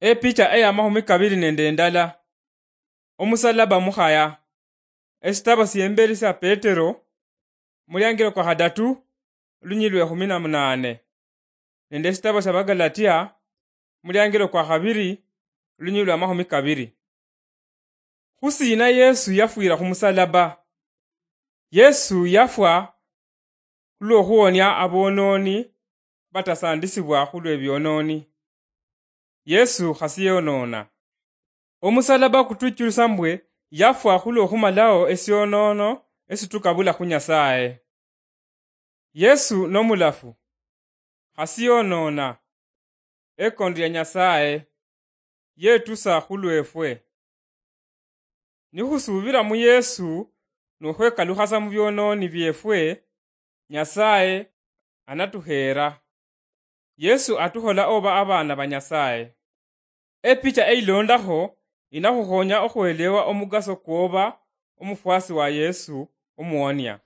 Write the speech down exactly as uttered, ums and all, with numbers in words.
Epicha eya mahumi kabiri nende endala. Omusalaba mukhaya. Esitabo siemberi sia Petero, muliangiro kwa khadatu, lunyilwe khumi na munane, nende esitabo sia Bagalatia, muliangiro kwa khabiri, lunyilwe amahumi kabiri. Khusina Yesu yafwira khumusalaba? Yesu yafwa khulwokhuwonia abononi batasandisibwa khulwebiononi. Yesu khasiyonona. Omusalaba kutuchulisa mbwe yafwa khulwokhumalao esionono esitukabula khu Nyasaye. Yesu nomulafu, khasiyonona, ekondo ya Nyasaye, yetusa khulwefwe. Nikhusubira mu Yesu nokhwekalukhasa mu biononi biefwe, Nyasaye anatuheera. Yesu atukhola oba abaana ba Nyasaye. Epicha eilondakho inakhukhonya okhwelewa omugaso kwoba omufwasi wa Yesu omuwonia.